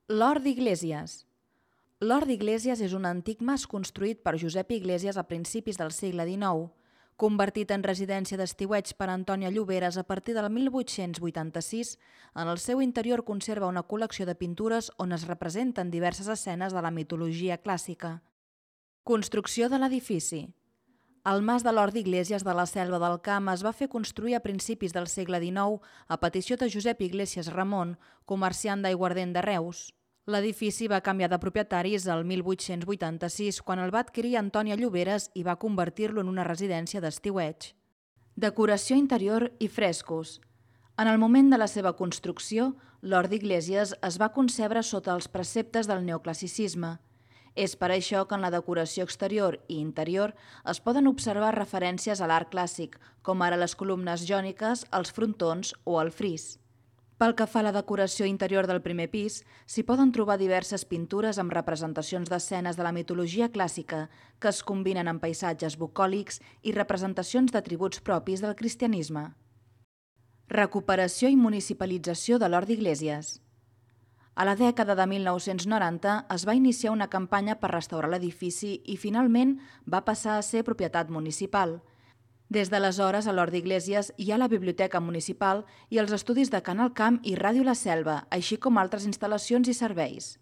L'Hort d'Iglésies. L'Hort d'Iglésies és un antic mas construït per Josep Iglésies a principis del segle XIX, convertit en residència d'estiueig per Antònia Lloberes a partir del 1886. En el seu interior conserva una col·lecció de pintures on es representen diverses escenes de la mitologia clàssica. Construcció de l'edifici. El mas de l'Hort d'Iglésies de la Selva del Camp es va fer construir a principis del segle XIX a petició de Josep Iglésies Ramon, comerciant d'aiguardent de Reus. L'edifici va canviar de propietaris el 1886 quan el va adquirir Antònia Lloberes i va convertir-lo en una residència d'estiueig. Decoració interior i frescos. En el moment de la seva construcció, l'Hort d'Iglésies es va concebre sota els preceptes del neoclassicisme. És per això que en la decoració exterior i interior es poden observar referències a l'art clàssic, com ara les columnes jòniques, els frontons o el fris. Pel que fa a la decoració interior del primer pis, s'hi poden trobar diverses pintures amb representacions d'escenes de la mitologia clàssica que es combinen amb paisatges bucòlics i representacions d'atributs propis del cristianisme. Recuperació i municipalització de l'Hort d'Iglésies. A la dècada de 1990 es va iniciar una campanya per restaurar l'edifici i finalment va passar a ser propietat municipal. Des d'aleshores a l'Hort d'Iglésies hi ha la Biblioteca Municipal i els estudis de Canal Camp i Ràdio La Selva, així com altres instal·lacions i serveis.